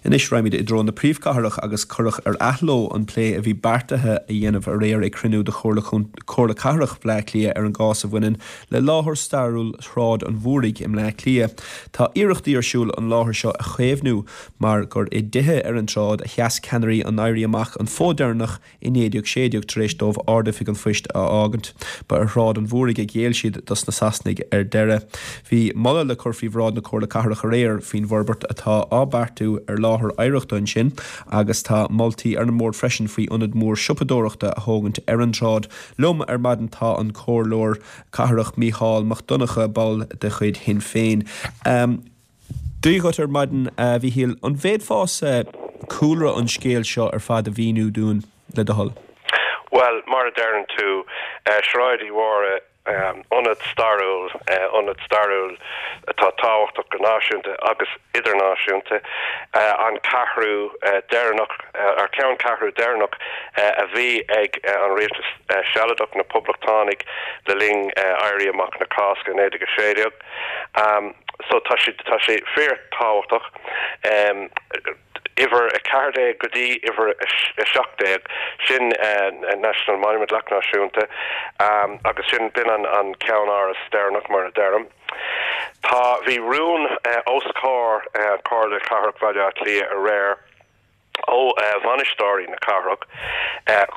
Anois raghaimid i dtreo na príomhchathrach agus cuireadh ar athló an plé a bhí beartaithe a dhéanamh aréir ag cruinniú de Chomhairle Cathrach Bhaile Átha Cliath ar an gcás a bhaineann le láthair stairiúil Shráid an Mhúraigh i mBleá Cliath. Tá iarrachtaí ar siúl an láthair seo a chaomhnú mar gur i dtithe ar an tsráid a sheas ceannairí an Éirí Amach an fód deireanach I 1916, tar éis dóibh Ard-Oifig an Phoist a fhágaint, ba ar Shráid an Mhúraigh a ghéill siad dos na Sasanaigh ar deireadh. Bhí moladh le cur faoi bhráid na Comhairle Cathrach aréir faoin bhforbairt atá á beartú ar láthair oidhreachta ansin agus tá moltaí ar an mbord freisin faoi ionad mór siopadóireachta a thógaint ar an tsráid. Liom ar maidin tá an Comhairleoir Cathrach Mícheál Mac Donncha, ball de chuid Shinn Féin. Dia dhuit ar maidin, a Mhíchíl. An bhféadfása cúlra an scéil seo ar fad a mhíniú dúinn, le do thoil? Bhuel, mar a deireann tú, Sráid Uí Mhórdha, ionad stairiúil, ionad stairiúil atá tábhachtach go náisiúnta agus idirnáisiúnta, an ceathrú deireanach, ar ceanncheathrú deireanach a bhí ag an rialtas sealadach, na Poblachtánaigh, le linn Éirí Amach na Cásca 1916. So tá sé, tá sé fíor tábhachtach. Uimhir 14 go dtí uimhir 17, sin National Monument, Leacht Náisiúnta, agus sin, b'in an, an ceann-áras deireanach mar a deirim. Tá, bhí rún os comhair Comhairle Cathrach Bhaile Átha Cliath aréir, ó bhainisteoirí na cathrach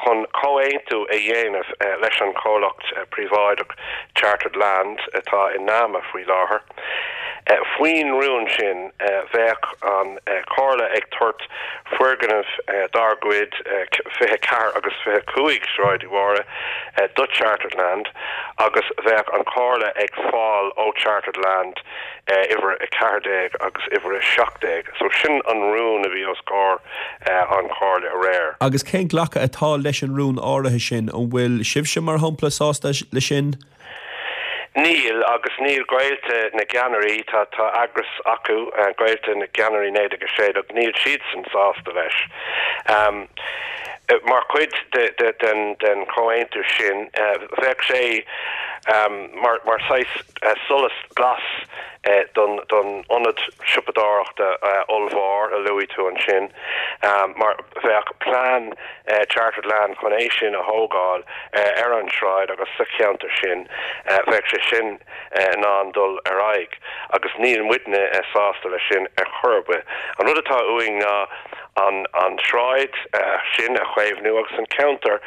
chun comhaontú a dhéanamh leis an chomhlacht príobháideach Chartered Land atá i NAMA faoi láthair. Faoin rún sin bheadh an Chomhairle ag tabhairt foirgnimh dár gcuid, 24 agus 25 Sráid Uí Mhórdha, do Chartered Land agus bheadh an Chomhairle ag fáil ó Chartered Land uimhir 14 agus uimhir 17. So sin an rún a bhí os comhair an Chomhairle aréir. Agus cén glacadh atá leis an rún áirithe sin? An bhfuil sibhse, mar shampla, sásta leis sin? Níl, agus níl gaolta na gceannairí, tá tá eagras acu, gaolta na gceannairí 1916, níl siadsan sásta leis. Mar chuid de de den den chomhaontú sin, bheadh sé mar mar saghas solas glas don ionad siopadóireachta ollmhór a luaigh tú ansin, mar bheadh plean Chartered Land chun é sin a thógáil ar an tsráid agus sa cheantar sin, bheadh sé sin in ann dul ar aghaidh agus níl muidne sásta leis sin ar chor ar bith. An rud atá uainn ná an tsráid sin a chaomhnú agus an ceantar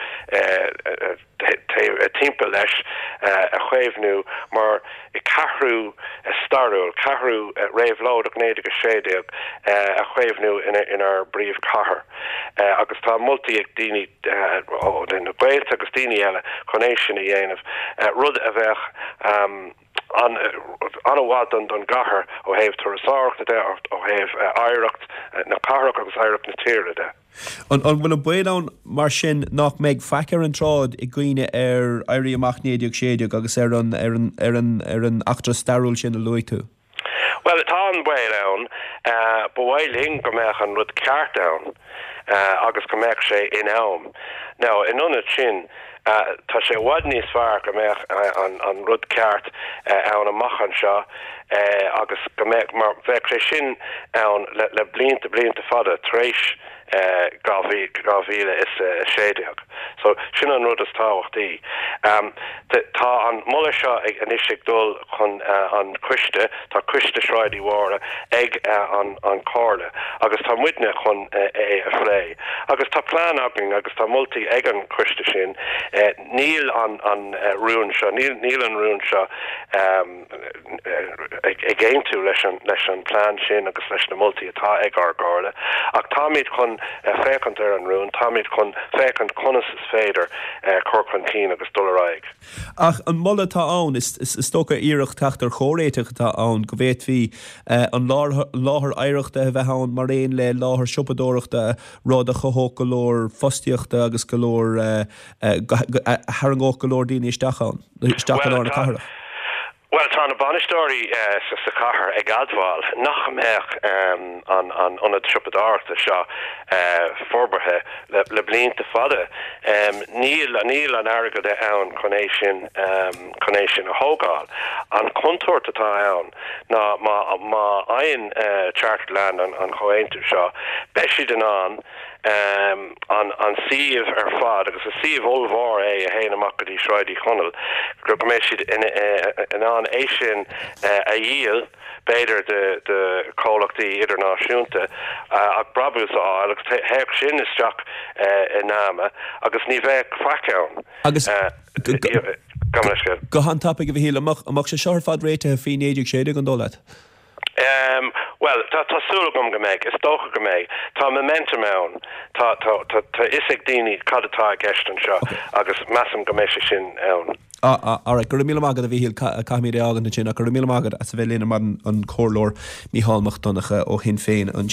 timpeall leis a chaomhnú mar cheathrú stairiúil, ceathrú réabhlóideach 1916 a chaomhnú inár bpríomhchathair. Agus tá moltaí ag daoine ó na gaolta agus daoine eile chun é sin a dhéanamh, rud a bheadh an-mhaith don gcathair ó thaobh turasóireachta de, ó thaobh oidhreacht na cathrach agus oidhreacht na tíre de. An bhfuil an baol ann mar sin nach mbeidh faic ar an tsráid i gcuimhne ar Éirí Amach 1916 agus ar an ar an ar an ar an eachtra stairiúil sin a luaigh tú? Bhuel, tá an baol ann. Ba mhaith linn go mbeadh an rud ceart ann agus go mbeadh sé in am. Now, in ionad sin, tá sé i bhfad níos fearr go mbeadh an rud ceart ann amach anseo agus go mbeadh, mar bheadh sé sin ann le blianta, blianta fada tar éis 2016. So, sin an rud is tábhachtaí. Tá an moladh seo anois ag dul chun an coiste, tá coiste Sráid Uí Mhórdha ag an Chomhairle agus tá muidne chun é a phlé. Agus tá plean againn agus tá moltaí ag an choiste sin. Níl an rún seo, níl an rún seo ag aontú leis an plean sin agus leis na moltaí atá ag ár gComhairle. Ach táimid chun féachaint ar an rún, táimid chun féachaint conas is féidir cur chun cinn agus dul ar aghaidh. Ach an moladh atá ann, is dócha iarracht teacht ar chomhréiteach atá ann, go bhféadfaí an láthair oidhreachta a bheith ann mar aon le láthair siopadóireachta, rud a chothódh go leor fostaíochta agus go leor, a tharraingeodh go leor daoine isteach ann, isteach i lár na cathrach. Bhuel, tá na bainisteoirí sa chathair ag admháil nach mbeadh an ionad siopadóireachta seo forbartha le blianta fada. Níl níl an airgead ann chun é sin chun é sin a thógáil. An chontúirt atá ann ná má má fhaigheann Chartered Land an chomhaontú seo, beidh siad in ann an suíomh ar fad, agus is suíomh ollmhór é a théann amach go dtí Sráid Uí Chonaill, go mbeidh siad in ann é sin a dhíol, b'fhéidir, do chomhlachtaí idirnáisiúnta ach brabús a fháil, agus théadh sin isteach i NAMA agus ní bheadh faic ann. Agus go han-tapaidh, a Mhichíl, an mbeadh sé seo ar fad réitithe faoi 1916, an dóigh leat? Bhuel, tá, tá súil agam go mbeidh. Is dócha go mbeidh. Tá momentum ann. Tá, tá, tá, tá fhios ag daoine cad atá i gceist anseo agus measaim go mbeidh sé sin ann. Ah, ah, alright. Go raibh míle maith agat, a Mhichíl. Caithfimid é a fhágaint ansin ach go raibh míle maith agat as a bheith linn ar maidin, an Comhairleoir Mícheál Mac Donncha ó Shinn Féin ansin.